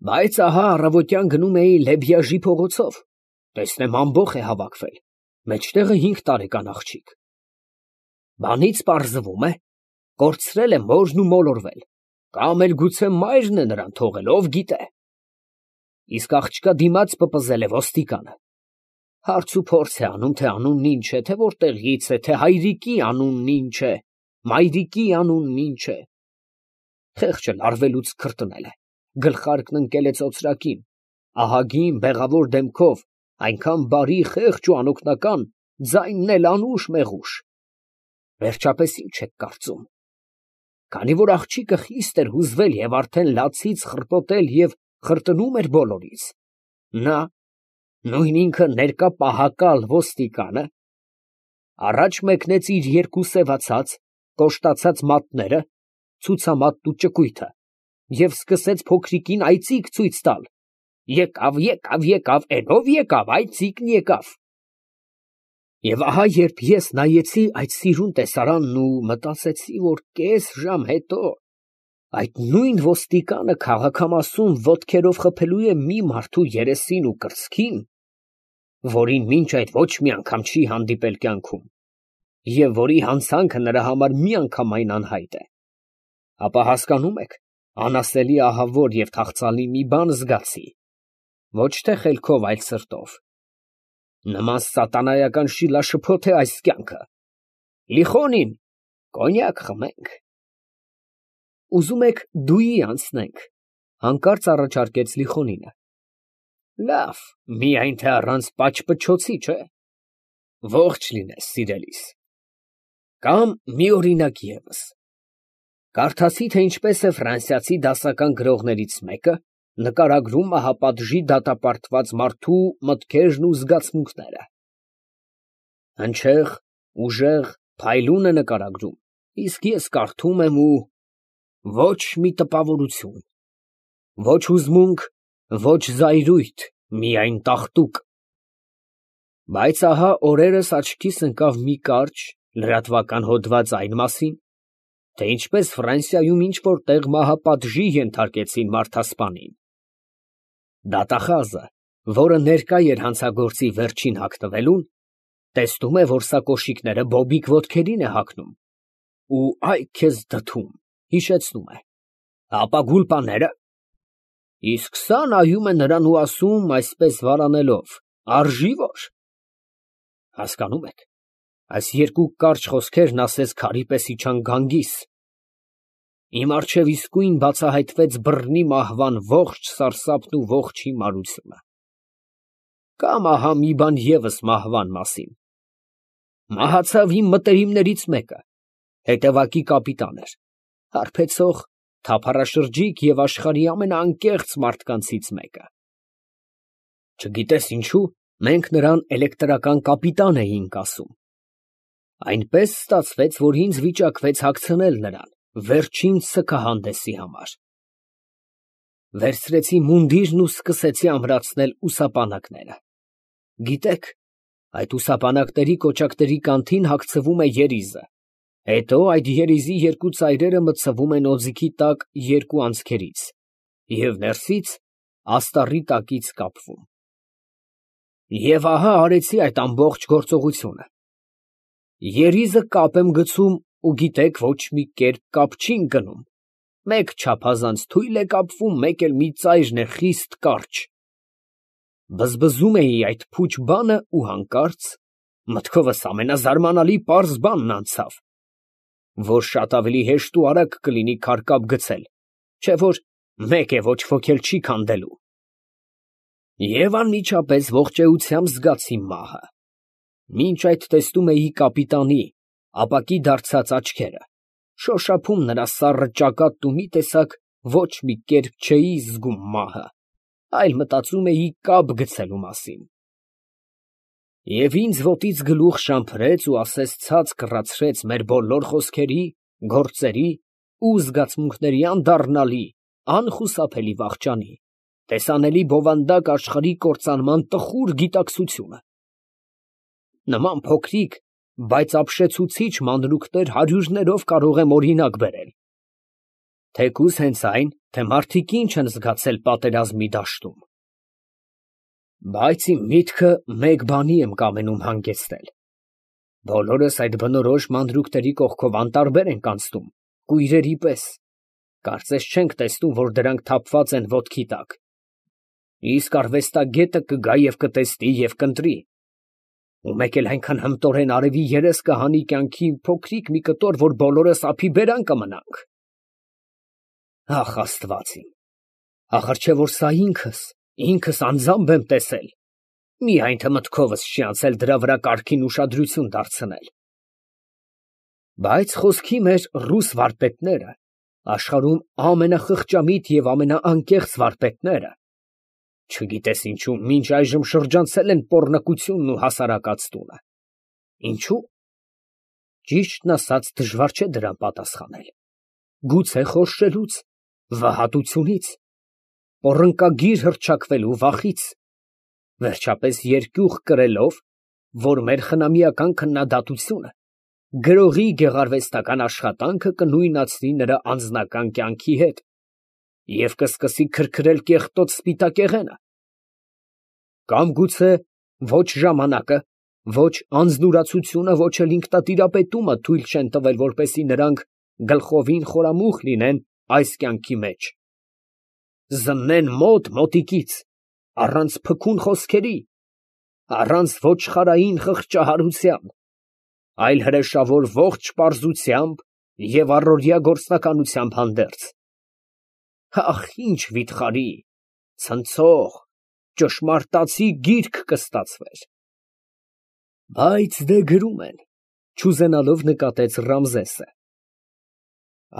Բայց ահա առավոտյան գնում էի Լեբյաժի փողոցով, տեսնեմ ամբոխ է հավաքվել, մեջտեղը 5 տարեկան աղջիկ։ Բանից պարզվում է, կորցրել է մորն ու մոլորվել, կամ էլ գուցե մայրն է նրան թողել, ով գիտե։ Իսկ աղջկա դիմաց պպզել է ոստիկանը։ Հարց ու փորձ է անում, թե անունն ինչ է, թե որտեղից է, թե հայրիկի անունն ինչ է, մայրիկի անունն ինչ է։ Խեղճը լարվելուց քրտնել է, գլխարկն ընկել է ծոծրակին, ահագին բեղավոր դեմքով, այնքան բարի, խեղճ ու անօգնական, ձայնն էլ անուշ մեղուշ։ Վերջապես ինչ եք կարծում։ Քանի որ աղջիկը խիստ էր հուզվել և արդեն լացից խռպոտել և խրտնում էր բոլորից, նա, նույն ինքը ներկա պահակալ ոստիկանը, առաջ մեկնեց իր 2 սևացած, կոշտացած մատները, ցուցամատն ու ճկույթը և սկսեց փոքրիկին այծիկ ցույց տալ. եկավ, եկավ, եկավ, էնով եկավ, այծիկն եկավ։ Եվ ահա երբ ես նայեցի այդ սիրուն տեսարանն ու մտածեցի, որ կես ժամ հետո այդ նույն ոստիկանը քաղաքամասում ոտքերով խփելու է մի մարդու երեսին ու կրծքին, որին մինչ այդ ոչ մի անգամ չի հանդիպել կյանքում, և որի հանցանքը նրա համար միանգամայն անհայտ է, ապա հասկանում եք, անասելի ահավոր և թախծալի մի բան զգացի, ոչ թե խելքով, այլ սրտով։ Նման սատանայական շիլաշփոթ է այս կյանքը։ Լիխոնին, կոնյակ խմենք։ Ուզում եք դուի անցնենք, հանկարծ առաջարկեց Լիխոնինը։ Լավ, միայն թե առանց պաճպճոցի, չէ։ Ողջ լինես, սիրելիս։ Կամ մի օրինակ ևս։ Կարդացի, թե ինչպես է ֆրանսիացի դասական գրողներից մեկը նկարագրում մահապատժի դատապարտված մարդու մտքերն ու զգացմունքները։ Հնչեղ, ուժեղ, փայլուն է նկարագրում, իսկ ես կարդում եմ ու ոչ մի տպավորություն, ոչ հուզմունք, ոչ զայրույթ, միայն տաղտուկ։ Բայց ահա օրերս աչքիս ընկավ մի կարճ, լրատվական հոդված այն մասին, թե ինչպես Ֆրանսիայում ինչ֊որ տեղ մահապատժի ենթարկեցին մարդասպանին։ Դատախազը, որը ներկա էր հանցագործի վերջին հագնվելուն, տեսնում է, որ սա կոշիկները բոբիկ ոտքերին է հագնում, ու այ քեզ դդում, հիշեցնում է. ապա գուլպաները։ Իսկ սա նայում է նրան ու ասում, այսպես վարանելով. արժի որ։ Հասկանում եք, այս 2 կարճ խոսքերն ասես քարի պես իջան գանգիս։ Իմ առջև իսկույն բացահայտվեց բռնի մահվան ողջ սարսափն ու ողջ հիմարությունը։ Կամ ահա մի բան ևս մահվան մասին։ Մահացավ իմ մտերիմներից մեկը, հետևակի կապիտան էր, հարբեցող, թափառաշրջիկ և աշխարհի ամենաանկեղծ մարդկանցից մեկը։ Չգիտես ինչու, մենք նրան էլեկտրական կապիտան էինք ասում։ Այնպես ստացվեց, որ ինձ վիճակվեց հագցնել նրան վերջին սգահանդեսի համար։ Վերցրեցի մունդիրն ու սկսեցի ամրացնել ուսապանակները։ Գիտեք, այդ ուսապանակների կոճակների կանթին հագցվում է երիզը, հետո այդ երիզի 2 ծայրերը մտցվում են օձիքի տակ 2 անցքերից և ներսից աստառի տակից կապվում։ Եվ ահա արեցի այդ ամբողջ գործողությունը։ Երիզը կապ եմ գցում ու գիտեք, ոչ մի կերպ կապ չի ընկնում, մեկ չափազանց թույլ է կապվում, մեկ էլ մի ծայրն է խիստ կարճ։ Բզբզում էի այդ փուչ բանը ու հանկարծ մտքովս ամենազարմանալի պարզ բանն անցավ, որ շատ ավելի հեշտ ու արագ կլինի քարկապ գցել, չէ՞ որ մեկ է ոչ ոք էլ չի քանդելու։ Եվ անմիջապես ողջ էությամբ զգացի մահը։ Մինչ այդ տեսնում էի կապիտանի ապակի դարձած աչքերը, շոշափում նրա սառը ճակատն ու մի տեսակ ոչ մի կերպ չէի զգում մահը, այլ մտածում էի կապ գցելու մասին։ Եվ ինձ ոտից գլուխ շամփրեց ու ասես ցած կռացրեց մեր բոլոր խոսքերի, գործերի ու զգացմունքների անդառնալի, անխուսափելի վախճանի, տեսանելի բովանդակ աշխարհի կործանման տխուր գիտակցությունը։ Նման փոքրիկ, բայց ապշեցուցիչ մանրուքներ հարյուրներով կարող եմ օրինակ բերել։ Թեկուզ հենց այն, թե մարդիկ ինչ են զգացել պատերազմի դաշտում։ Բայց իմ միտքը մեկ բանի եմ կամենում հանգեցնել։ Բոլորս այդ բնորոշ մանրուքների կողքով անտարբեր ենք անցնում, կույրերի պես, կարծես չենք տեսնում, որ դրանք թափված են ոտքի տակ։ Իսկ արվեստագետը կգա և կտեսնի և կընտրի։ Ու մեկ էլ այնքան հմտորեն արևի երես կհանի կյանքի փոքրիկ մի կտոր, որ բոլորս ափի բերան կմնանք։ Ախ, Աստված իմ, ախր չէ որ սա ինքս անձամբ եմ տեսել, միայն թե մտքովս չի անցել դրա վրա կարգին ուշադրություն դարձնել։ Բայց խոսքի մեր ռուս վարպետները, աշխարհում ամենախղճամիտ և ամենաանկեղծ վարպետները, չգիտես ինչու մինչ այժմ շրջանցել են պոռնկությունն ու հասարակած տունը։ Ինչու՞։ Ճիշտն ասած, դժվար չէ դրան պատասխանել։ Գուցե խորշելուց, վհատությունից, պոռնկագիր հռչակվելու վախից, վերջապես երկյուղ կրելով, որ մեր խնամիական քննադատությունը գրողի գեղարվեստական աշխատանքը կնույնացնի նրա անձնական կյանքի հետ և կսկսի քրքրել կեղտոտ սպիտակեղենը։ Կամ գուցե ոչ ժամանակը, ոչ անձնուրացությունը, ոչ էլ ինքնատիրապետումը թույլ չեն տվել, որպեսզի նրանք գլխովին խորամուխ լինեն այս կյանքի մեջ, զննեն մոտիկից, առանց փքուն խոսքերի, առանց ոչխարային խղճահարության, այլ հրեշավոր ողջ պարզությամբ և առօրյա գործնականությամբ հանդերձ։ Ախ, ինչ վիթխարի, ցնցող, ճշմարտացի գիրք կստացվեր։ Բայց դե գրում են, չուզենալով նկատեց Ռամզեսը։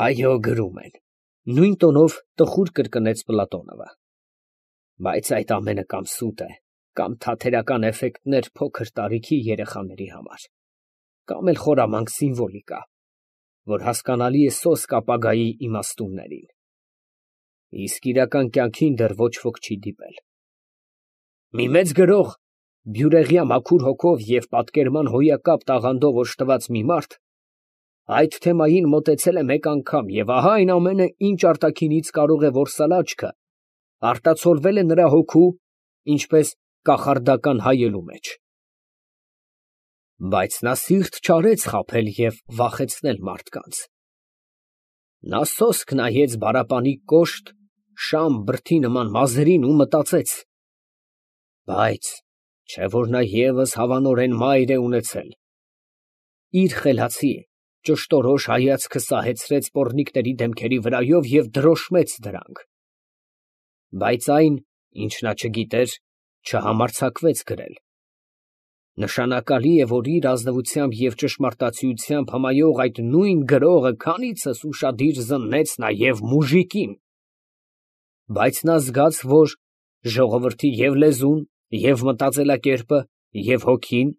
Այո, գրում են, նույն տոնով տխուր կրկնեց Պլատոնովը։ Բայց այդ ամենը կամ սուտ է, կամ թատերական էֆեկտներ փոքր տարիքի երեխաների համար, կամ էլ խորամանկ սիմվոլիկա, որ հասկանալի է սոսկ ապագայի իմաստուններին։ Իսկ իրական կյանքին դեռ ոչ ոք չի դիպել։ Մի մեծ գրող, բյուրեղյա մաքուր հոգով և պատկերման հոյակապ տաղանդով օժտված մի մարդ այդ թեմային մոտեցել է մեկ անգամ, և ահա այն ամենը, ինչ արտաքինից կարող է որսալ աչքը, արտացոլվել է նրա հոգու, ինչպես կախարդական հայելու մեջ։ Բայց նա սիրտ չարեց խաբել և վախեցնել մարդկանց։ Նա սոսկ նայեց բարապանի կոշտ, շամ բրդի նման մազերին ու մտածեց. բայց չէ որ նա ևս հավանորեն մայր է ունեցել։ Իր խելացի, ճշտորոշ հայացքը սահեցրեց պոռնիկների դեմքերի վրայով և դրոշմեց դրանք։ Բայց այն, ինչ նա չգիտեր, չհամարձակվեց գրել։ Նշանակալի է, որ իր ազնվությամբ և ճշմարտացիությամբ հմայող այդ նույն գրողը քանիցս ուշադիր զննեց նաև մուժիկին։ Բայց նա զգաց, որ ժողովրդի և լեզուն, և մտածելակերպը, և հոգին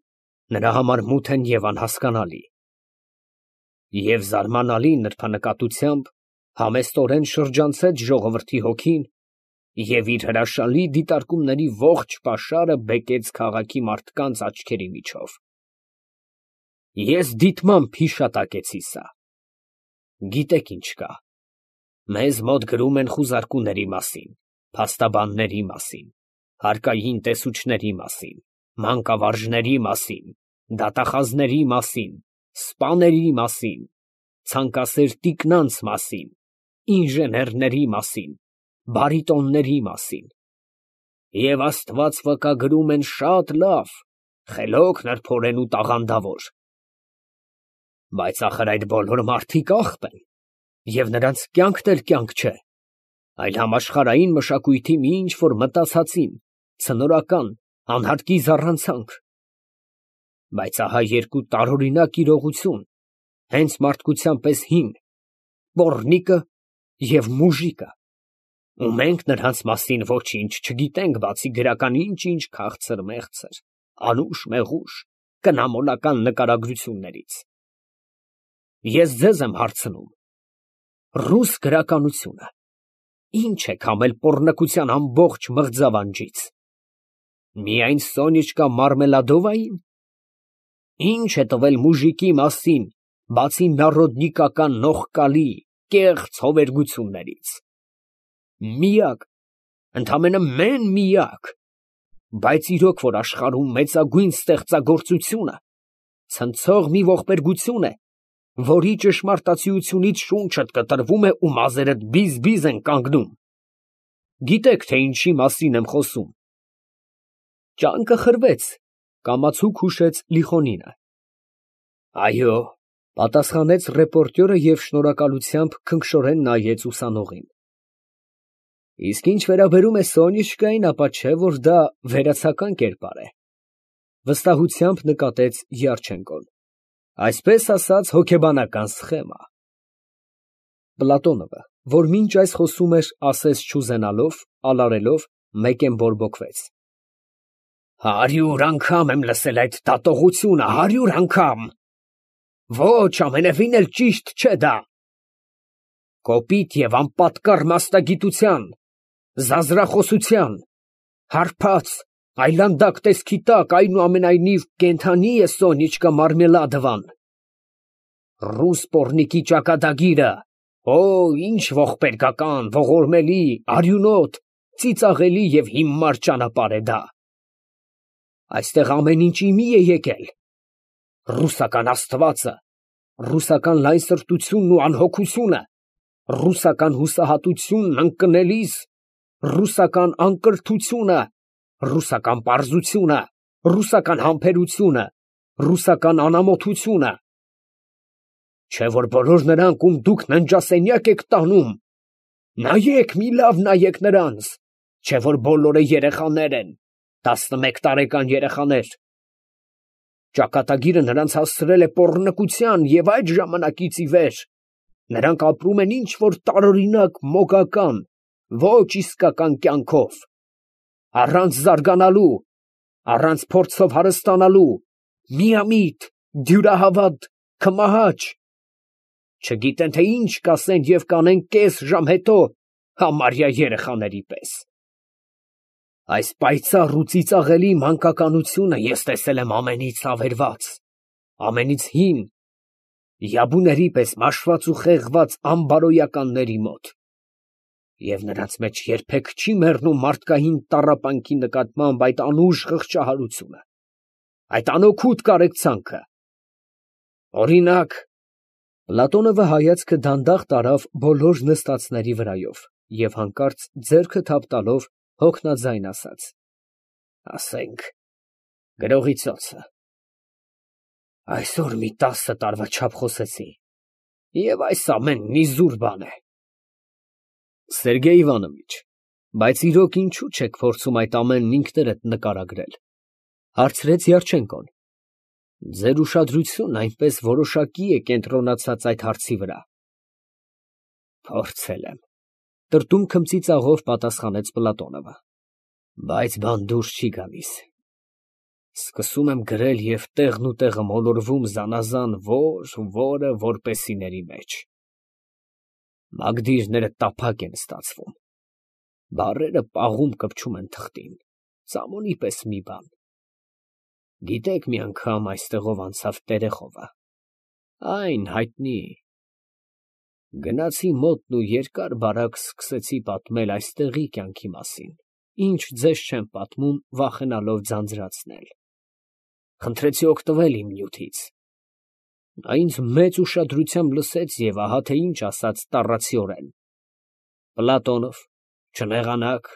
նրա համար մութ են և անհասկանալի։ Եվ զարմանալի նրբանկատությամբ համեստորեն շրջանցեց ժողովրդի հոգին և իր հրաշալի դիտարկումների ողջ պաշարը բեկեց քաղաքի մարդկանց աչքերի միջով։ Ես դիտմամբ հիշատակեցի սա։ Գիտեք ինչ կա։ Մեզ մոտ գրում են խուզարկուների մասին, փաստաբանների մասին, հարկային տեսուչների մասին, մանկավարժների մասին, դատախազների մասին, սպաների մասին, ցանկասեր տիկնանց մասին, ինժեներների մասին, բարիտոնների մասին։ Եվ Աստված վկա գրում են շատ լավ, խելոք նրբորեն ու տաղանդավոր։ Բայց ախր այդ բոլոր մարդիկ աղբ են, և նրանց կյանքն էլ կյանք չէ, այլ համաշխարհային մշակույթի մի ինչ֊որ մտածածին, ցնորական, անհարկի զառանցանք։ Բայց ահա երկու տարօրինակ իրողություն, հենց մարդկության պես հին, պոռնիկը և մուժիկը, ու մենք նրանց մասին ոչինչ չգիտենք, բացի գրական ինչ֊ինչ քաղցր֊մեղցր, անուշ֊մեղուշ, կնամոլական նկարագրություններից։ Ես ձեզ եմ հարցնում. ռուս գրականությունը ի՞նչ է քամել պոռնկության ամբողջ մղձավանջից։ Միայն Սոնյեչկա Մարմելադովային։ Ի՞նչ է տվել մուժիկի մասին, բացի նարոդնիկական նողկալի, կեղծ հովերգություններից։ Միակ, ընդամենը միակ, բայց իրոք որ աշխարհում մեծագույն ստեղծագործությունը ցնցող մի ողբերգություն է, որի ճշմարտացիությունից շունչդ կտրվում է ու մազերդ բիզ են կանգնում։ Գիտեք, թե ինչի մասին եմ խոսում։ Ճանկը խրվեց, կամացուկ հուշեց Լիխոնինը։ Այո, պատասխանեց ռեպորտյորը և շնորհակալությամբ քնքշորեն նայեց ուսանողին։ Իսկ ինչ վերաբերում է Սոնյուշկային, ապա չէ որ դա վերացական կերպար է, վստահությամբ նկատեց Յարչենկոն։ Այսպես ասած, հոգեբանական սխեմա։ Պլատոնովը, որ մինչ այս խոսում էր, ասես չուզենալով, ալարելով, մեկեն բորբոքվեց։ 100 անգամ եմ լսել այդ դատողությունը, 100 անգամ։ Ոչ, ամենևին էլ ճիշտ չէ դա։ Կոպիտ և անպատկառ մասնագիտության, զազրախոսության, հարբած, այլանդակ տեսքի տակ այնուամենայնիվ կենդանի է Սոնիչկա Մարմելադովան։ Ռուս պոռնիկի ճակատագիրը, օ, ինչ ողբերգական, ողորմելի, արյունոտ, ծիծաղելի և հիմար ճանապարհ է դա։ Այստեղ ամեն ինչ իմի է եկել. ռուսական աստվածը, ռուսական լայնսրտությունն ու անհոգությունը, ռուսական հուսահատությունն ընկնելիս, ռուսական անկրթությունը, ռուսական պարզությունը, ռուսական համբերությունը, ռուսական անամոթությունը։ Չէ որ բոլոր նրանք, ում դուք ննջասենյակ եք տանում, նայեք, մի լավ նայեք նրանց, չէ որ բոլորը երեխաներ են, 11 տարեկան երեխաներ։ Ճակատագիրը նրանց հասցրել է պոռնկության և այդ ժամանակից ի վեր նրանք ապրում են ինչ-որ տարօրինակ մոգական, ոչ իսկական կյանքով, առանց զարգանալու, առանց փորձով հարստանալու, միամիտ, դյուրահավատ, քմահաճ, չգիտեն, թե ինչ կասեն և կանեն կես ժամ հետո, համարյա երեխաների պես։ Այս պայծառ ու ծիծաղելի մանկականությունը ես տեսել եմ ամենից ավերված, ամենից հին, յաբուների պես մաշված ու խեղված անբարոյականների մոտ, և նրանց մեջ երբեք չի մեռնում մարդկային տառապանքի նկատմամբ այդ անուշ խղճահարությունը, այդ անօգուտ կարեկցանքը։ Օրինակ, Պլատոնովը հայացքը դանդաղ տարավ բոլոր նստածների վրայով և հանկարծ ձեռքը թափ տալով հոգնածայն ասաց. ասենք, գրողի ծոցը։ Այսօր մի 10 տարվա չափ խոսեցի, և այս ամենն իզուր բան է։ Սերգեյ Իվանովիչ, բայց իրոք ինչու չեք փորձում այդ ամենն ինքներդ նկարագրել, հարցրեց Յարչենկոն։ Ձեր ուշադրությունն այնպես որոշակի է կենտրոնացած այդ հարցի վրա։ Փորձել եմ, տրտում քմծիծաղով պատասխանեց Պլատոնովը, բայց բան դուրս չի գալիս։ Սկսում եմ գրել և տեղն ու տեղը մոլորվում զանազան որը որպեսիների մեջ։ Մագդիրները տափակ են ստացվում, բառերը պաղում կպչում են թղթին, ծամոնի պես մի բան։ Գիտեք, մի անգամ այստեղով անցավ տերեխովը, այն հայտնի։ Գնացի մոտն ու երկար֊բարակ սկսեցի պատմել այստեղի կյանքի մասին, ինչ ձեզ չեմ պատմում, վախենալով ձանձրացնել։ Խնդրեցի օգտվել իմ նյութից։ Նա ինձ մեծ ուշադրությամբ լսեց և ահա թե ինչ ասաց տառացիորեն. Պլատոնով, չնեղանաք,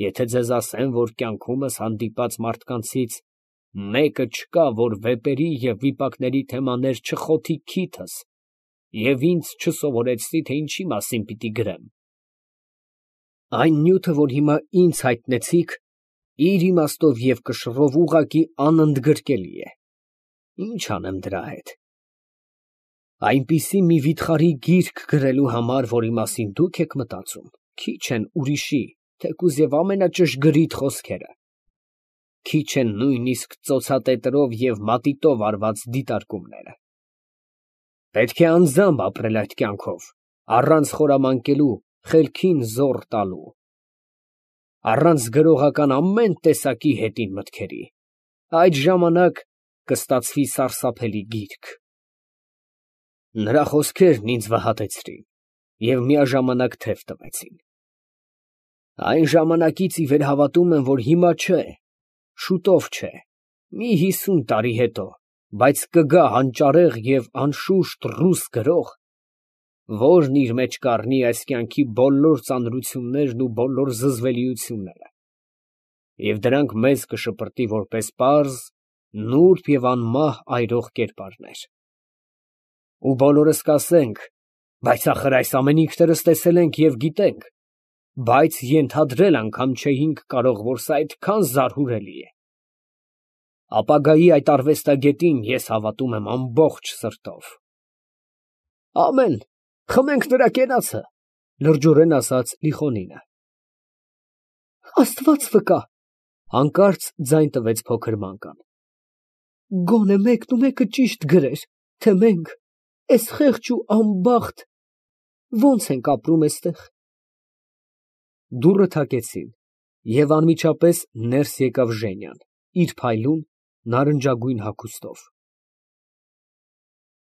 եթե ձեզ ասեմ, որ կյանքումս հանդիպած մարդկանցից մեկը չկա, որ վեպերի և վիպակների թեմաներ չխոթի քիթս և ինձ չսովորեցնի, թե ինչի մասին պիտի գրեմ։ Այն նյութը, որ հիմա ինձ հայտնեցիք, իր իմաստով և կշռով ուղղակի անընդգրկելի է։ Ինչ անեմ դրա հետ։ Այնպիսի մի վիթխարի գիրք գրելու համար, որի մասին դուք եք մտածում, քիչ են ուրիշի, թեկուզ և ամենաճշգրիտ խոսքերը, քիչ են նույնիսկ ծոցատետրով և մատիտով արված դիտարկումները։ Պետք է անձամբ ապրել այդ կյանքով, առանց խորամանկելու, խելքին զոռ տալու, առանց գրողական ամեն տեսակի հետին մտքերի, այդ ժամանակ կստացվի սարսափելի գիրք։ Նրա խոսքերն ինձ վհատեցրին։ և միաժամանակ թև տվեցին։ Այն ժամանակից ի վեր հավատում եմ, որ հիմա չէ, շուտով չէ, մի 50 տարի հետո, բայց կգա հանճարեղ և անշուշտ ռուս գրող, որն իր մեջ կառնի այս կյանքի բոլոր ծանրություններն ու բոլոր զզվելիությունները, և դրանք մեզ կշպրտի որպես պարզ, նուրբ և անմահ այրող կերպարներ։ Ու բոլորս կասենք. «Բայց ախր այս ամենը ինքներս տեսել ենք և գիտենք», բայց ենթադրել անգամ չէինք կարող, որ սա այդքան զարհուրելի է։ Ապագայի այդ արվեստագետին ես հավատում եմ ամբողջ սրտով։ Ամեն, խմենք նրա կենացը, լրջորեն ասաց Լիխոնինը։ Աստված վկա, հանկարծ ձայն տվեց փոքր ման։ Գոնե մեկն ու մեկը ճիշտ գրեր, թե մենք, էս խեղճ ու անբախտ, ո՞նց ենք ապրում էստեղ։ Դուռը թակեցին, և անմիջապես ներս եկավ Ժենյան, իր փայլուն նարնջագույն հագուստով։